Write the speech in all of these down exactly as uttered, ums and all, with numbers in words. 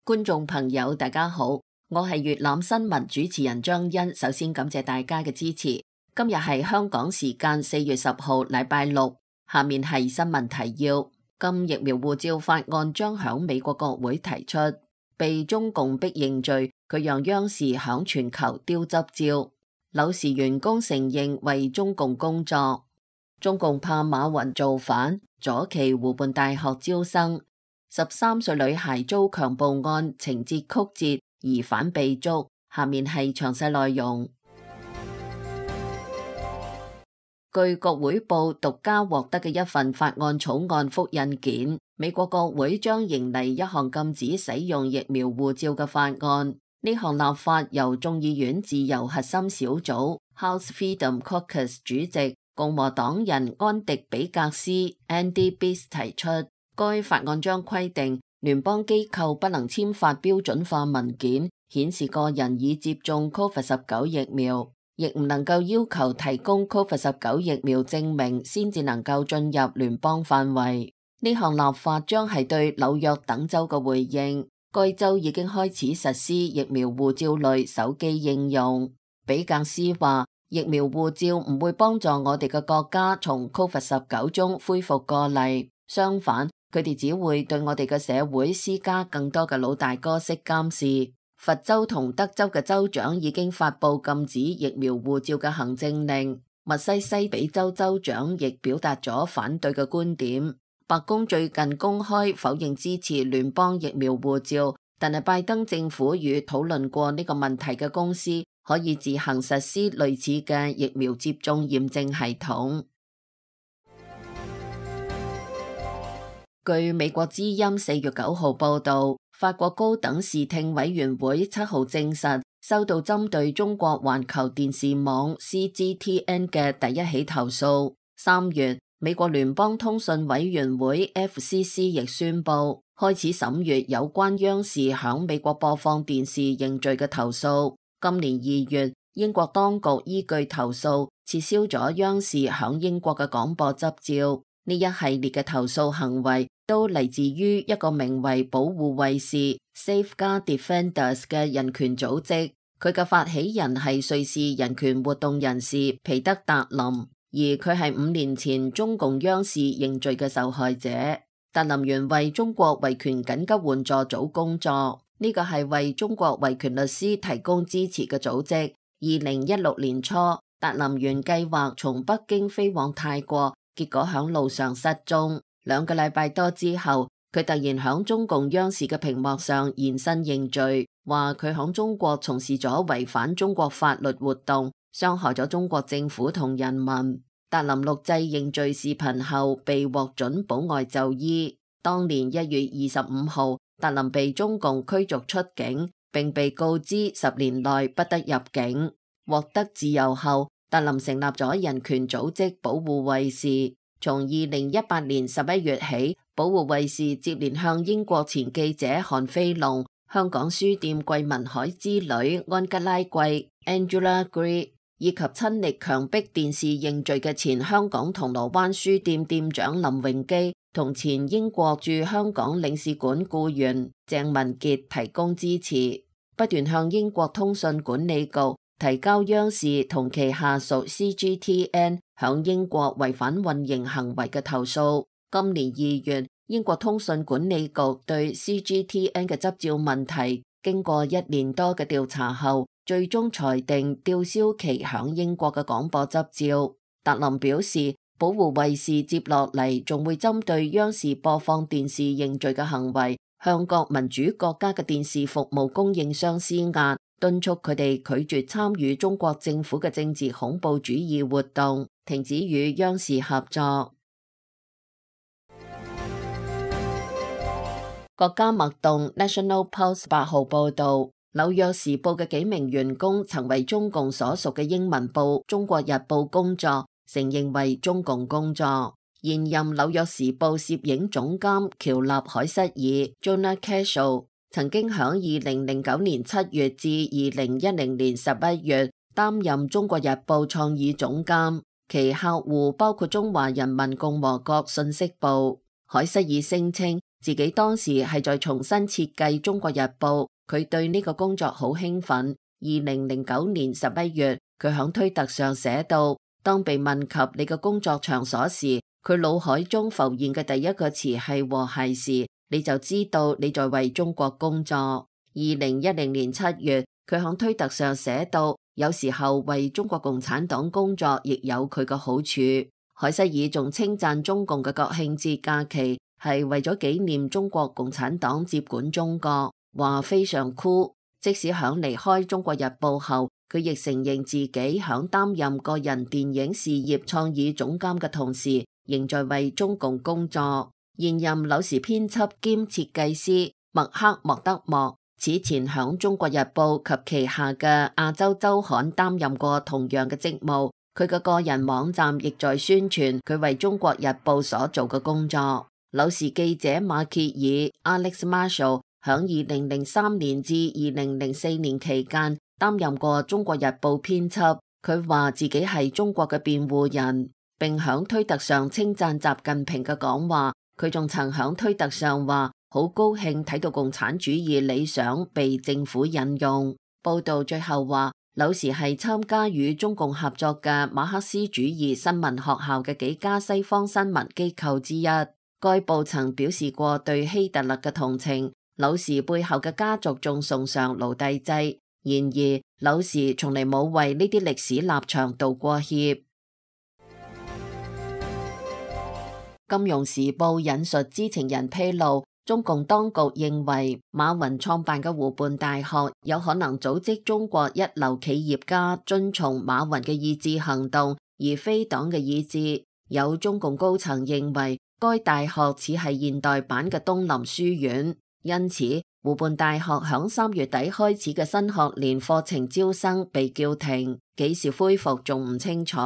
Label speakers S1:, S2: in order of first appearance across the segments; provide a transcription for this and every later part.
S1: 觀眾朋友大家好，我係粵覽新聞主持人張欣。首先感謝大家嘅支持。今日係香港時間四月十號禮拜六，下面係新聞提要。禁疫苗護照法案將響美國國會提出，被中共逼認罪，佢讓央視響全球丟執照。柳氏員工承認為中共工作。中共怕馬雲造反，左旗湖畔大學招生。十三歲女孩遭強暴案情節曲折，疑犯被捉。下面係詳細內容。據國會報獨家獲得嘅一份法案草案複印件，美國國會將迎嚟一項禁止使用疫苗護照嘅法案。呢項立法由眾議院自由核心小組 House Freedom Caucus 主席共和黨人安迪比格斯 Andy Biggs 提出。該法案將規定聯邦機構不能簽發標準化文件，顯示個人已接種 Covid 十九 疫苗，亦唔能夠要求提供 Covid 十九 疫苗證明先至能夠進入聯邦範圍。呢項立法將係對紐約等州嘅回應，該州已經開始實施疫苗護照類手機應用。比格斯話，疫苗護照唔會幫助我哋嘅國家從 Covid 十九 中恢復過嚟，相反，佢哋只會對我哋嘅社會施加更多嘅老大哥式監視。佛州同德州嘅州長已經發佈禁止疫苗護照嘅行政令，密西西比州州長亦表達咗反對嘅觀點。白宮最近公開否認支持聯邦疫苗護照，但係拜登政府與討論過呢個問題嘅公司可以自行實施類似嘅疫苗接種驗證系統。據美國之音四月九號報道，法國高等視聽委員會七號證實收到針對中國環球電視網 C G T N 嘅第一起投訴。三月，美國聯邦通訊委員會 F C C 亦宣布開始審閱有關央視響美國播放電視認罪嘅投訴。今年二月，英國當局依據投訴撤銷咗央視響英國嘅廣播執照。呢一系列嘅投訴行為都嚟自於一個名為保護衛士 Safeguard Defenders 嘅人權組織，佢嘅發起人係瑞士人權活動人士皮德達林，而佢係五年前中共央視認罪嘅受害者。達林原為中國維權緊急援助組工作，呢個係為中國維權律師提供支持嘅組織。二零一六年初，達林原計劃從北京飛往泰國，結果響路上失蹤，兩個禮拜多之後，佢突然響中共央視嘅屏幕上現身認罪，話佢響中國從事咗違反中國法律活動，傷害咗中國政府同人民。達林錄製認罪視頻後被獲准保外就醫。當年一月二十五號，達林被中共驅逐出境，並被告知十年內不得入境。獲得自由後，達林成立咗人權組織保護衛士，從二零一八年十一月起，保護衛士接連向英國前記者韓飛龍、香港書店桂民海之女安吉拉貴 Angela Gray 以及親力強迫電視認罪嘅前香港銅鑼灣書店店長林榮基同前英國駐香港領事館僱員鄭文傑提供支持，不斷向英國通訊管理局提交央視同其下屬 C G T N 響英國違反運營行為嘅投訴。今年二月，英國通訊管理局對 C G T N 嘅執照問題經過一年多嘅調查後，最終裁定吊銷其響英國嘅廣播執照。達林表示，保護衛士接落嚟仲會針對央視播放電視認罪嘅行為，向各民主國家嘅電視服務供應商施壓，敦促佢哋拒絕參與中國政府嘅政治恐怖主義活動，停止與央視合作。國家脈動 National Pulse 八號報導，紐約時報嘅幾名員工曾為中共所屬嘅英文報《中國日報》工作，承認為中共工作。現任紐約時報攝影總監喬納海瑟爾 Jonah Cashel 曾經響二零零九年七月至二零一零年十一月擔任中國日報創意總監，其客戶包括中華人民共和國信息部。海瑟爾聲稱自己當時係在重新設計《中國日報》，佢對呢個工作好興奮。二零零九年十一月，佢響推特上寫到，當被問及你嘅工作場所時，佢腦海中浮現嘅第一個詞係和諧時，你就知道你在為中國工作。二零一零年七月，佢響推特上寫到，有時候為中國共產黨工作亦有佢嘅好處。海瑟爾仲稱讚中共嘅國慶節假期係為咗紀念中國共產黨接管中國，話非常酷。即使響離開中國日報後，佢亦承認自己響擔任個人電影事業創意總監嘅同時，仍在為中共工作。現任紐時編輯兼設計師麥克莫德莫此前響中國日報及旗下嘅亞洲週刊擔任過同樣嘅職務。佢嘅個人網站亦在宣傳佢為中國日報所做嘅工作。紐時記者馬歇爾 Alex Marshall 響二零零三年至二零零四年期間擔任過中國日報編輯。佢話自己係中國嘅辯護人，並響推特上稱讚習近平嘅講話。佢仲曾響推特上話好高興睇到共產主義理想被政府引用。報道最後話，紐時係參加與中共合作嘅馬克思主義新聞學校嘅幾家西方新聞機構之一。該報曾表示過對希特勒嘅同情。紐時背後嘅家族仲崇尚奴隸制，然而紐時從嚟冇為呢啲歷史立場道過歉。金融時報引述知情人披露，中共當局認為馬雲創辦嘅湖畔大學有可能組織中國一流企業家遵從馬雲嘅意志行動，而非黨嘅意志。有中共高層認為該大學似係現代版嘅東林書院。因此，湖畔大學響三月底開始嘅新學年課程招生被叫停，幾時恢復仲唔清楚。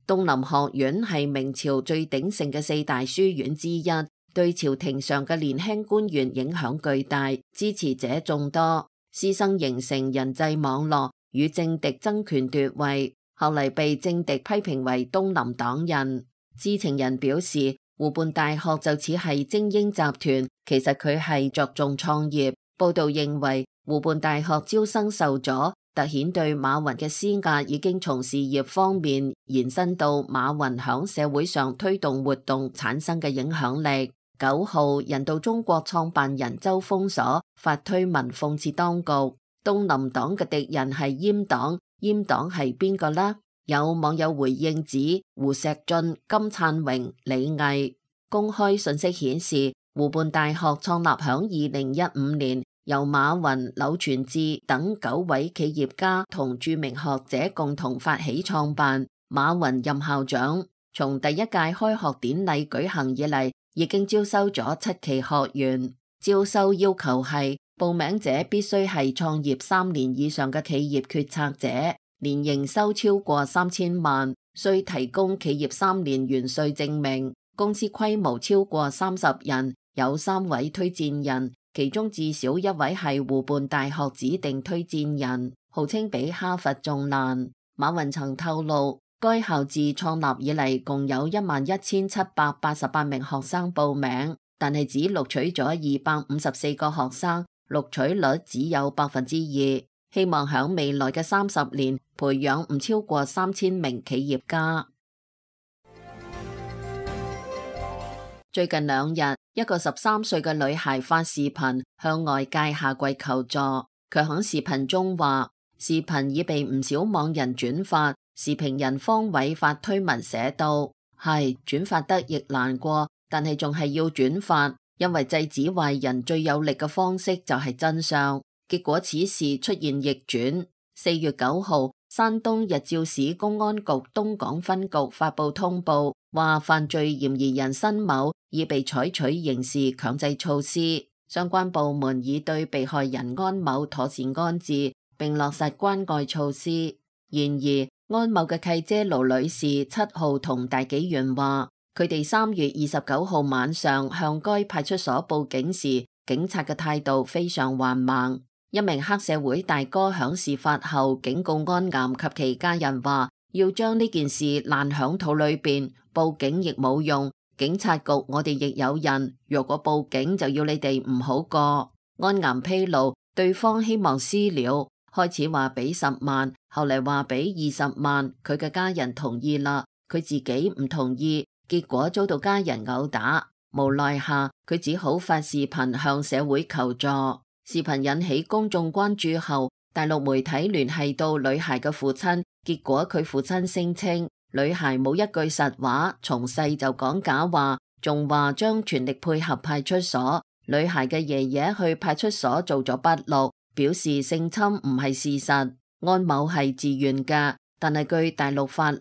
S1: 東林學院係明朝最鼎盛嘅四大書院之一，對朝廷上嘅年輕官員影響巨大，支持者眾多，師生形成人際網絡，與政敵爭權奪位，後嚟被政敵批評為東林黨人。知情人表示，湖畔大學就似係精英集團，其實佢係着重創業。報道認為湖畔大學招生受阻，凸顯對馬雲嘅施壓已經從事業方面延伸到馬雲響社會上推動活動產生嘅影響力。九號，人道中國創辦人周鋒鎖發推文諷刺當局，東林黨嘅敵人係閹黨，閹黨係邊個呢？有網友回應指胡錫進、金燦榮、李毅。公開信息顯示，湖畔大學創立響二零一五年，由馬雲、柳傳志等九位企業家同著名學者共同發起創辦。馬雲任校長，從第一屆開學典禮舉行以嚟，已經招收咗七期學員。招收要求係報名者必須係創業三年以上嘅企業決策者，年營收超過三千萬，需提供企業三年完稅證明，公司規模超過三十人，有三位推薦人，其中至少一位係湖畔大學指定推薦人，號稱比哈佛仲難。馬雲曾透露，該校自創立以嚟共有一萬一千七百八十八名學生報名，但係只錄取咗二百五十四個學生，錄取率只有百分之二。希望響未來嘅三十年培養唔超過三千名企業家。最近兩日，一個十三歲嘅女孩發視頻向外界下跪求助。佢響視頻中話，視頻已被唔少網人轉發。視頻人方偉發推文寫道：係轉發得亦難過，但係仲係要轉發，因為制止壞人最有力嘅方式就係真相。結果此事出現逆轉。四月九號，山東日照市公安局東港分局發布通報，話犯罪嫌疑人申某已被採取刑事強制措施，相關部門已對被害人安某妥善安置，並落實關愛措施。然而，安某嘅契姐盧女士七號同大紀元話，佢哋三月二十九號晚上向該派出所報警時，警察嘅態度非常緩慢。一名黑社會大哥響事發後警告安岩及其家人話，要將呢件事爛響肚裏邊，報警亦冇用，警察局我哋亦有人，若果報警就要你哋唔好過。安岩披露，對方希望私了，開始話俾十萬，後嚟話俾二十萬，佢嘅家人同意啦，佢自己唔同意，結果遭到家人毆打，無奈下佢只好發視頻向社會求助。視頻引起公眾關注後，大陸媒體聯繫到女孩嘅父親，結果佢父親聲稱女孩冇一句實話，從細就講假話，仲話將全力配合派出所。女孩嘅爺爺去派出所做咗筆錄，表示性侵唔係事實，安某係自願嘅，但係據大陸法律，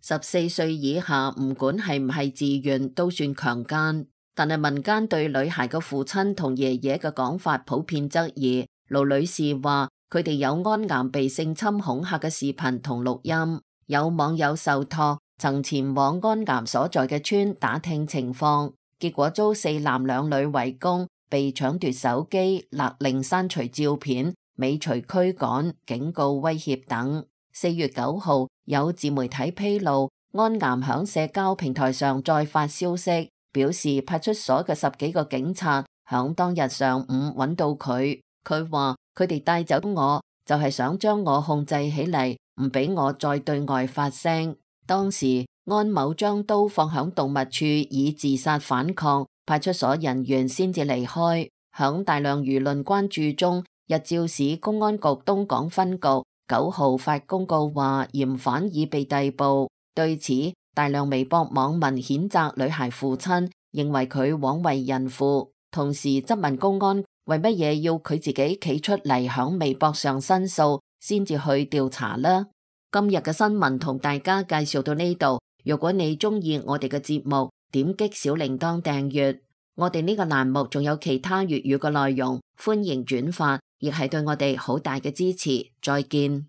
S1: 十四歲以下唔管係唔係自願都算強姦。但係民間對女孩嘅父親同爺爺嘅講法普遍質疑。盧女士話佢哋有安岩被性侵恐嚇嘅視頻同錄音。有網友受託曾前往安岩所在嘅村打聽情況，結果遭四男兩女圍攻，被搶奪手機、勒令刪除照片、尾隨驅趕、警告威脅等。四月九號有自媒體披露，安岩響社交平台上再發消息，表示派出所嘅十幾個警察響當日上午揾到佢，佢話佢哋帶走我就係想將我控制起嚟，唔俾我再對外發聲。當時安某將刀放響動物處以自殺反抗，派出所人員先至離開。響大量輿論關注中，日照市公安局東港分局九號發公告話嫌犯已被逮捕。對此，大量微博網民譴責女孩父親，認為佢枉為人父，同時質問公安為乜嘢要佢自己企出嚟響微博上申訴先至去調查呢？今日嘅新聞同大家介紹到呢度，如果你中意我哋嘅節目，點擊小鈴鐺訂閱。我哋呢個欄目仲有其他粵語嘅內容，歡迎轉發，亦係對我哋好大嘅支持。再見。